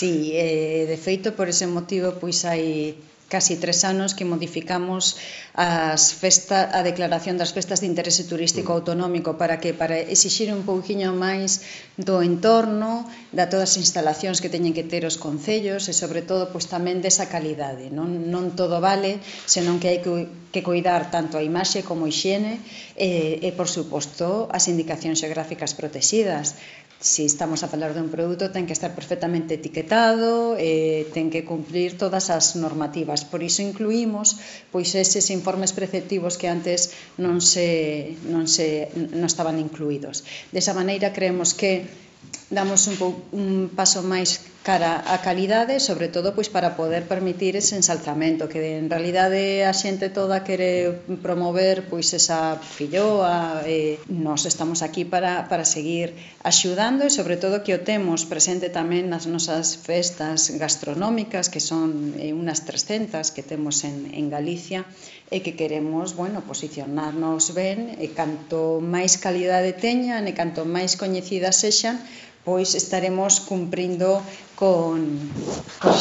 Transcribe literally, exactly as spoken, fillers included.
Sí, eh, de feito, por ese motivo, pois hai casi tres anos que modificamos as festa, a declaración das festas de interese turístico autonómico. Para que? Para exixir un pouquiño máis do entorno, da todas as instalacións que teñen que ter os concellos e, sobre todo, pois tamén desa calidade. Non, non todo vale, senón que hai que, que cuidar tanto a imaxe como a hixiene e, e, por suposto, as indicacións xeográficas protegidas. Se estamos a falar dun produto, ten que estar perfectamente etiquetado, e ten que cumplir todas as normativas. Por iso incluímos pois eses informes preceptivos que antes non se, non se non estaban incluídos. Desa maneira, creemos que damos un, pou, un paso máis cara á calidade, sobre todo pois para poder permitir ese ensalzamento, que en realidade a xente toda quere promover pois esa filloa, e nós estamos aquí para, para seguir axudando, e sobre todo que o temos presente tamén nas nosas festas gastronómicas, que son eh, unas trescentas que temos en, en Galicia, e que queremos, bueno, posicionarnos ben, e canto máis calidade teñan e canto máis coñecidas sexan, pois estaremos cumprindo con, con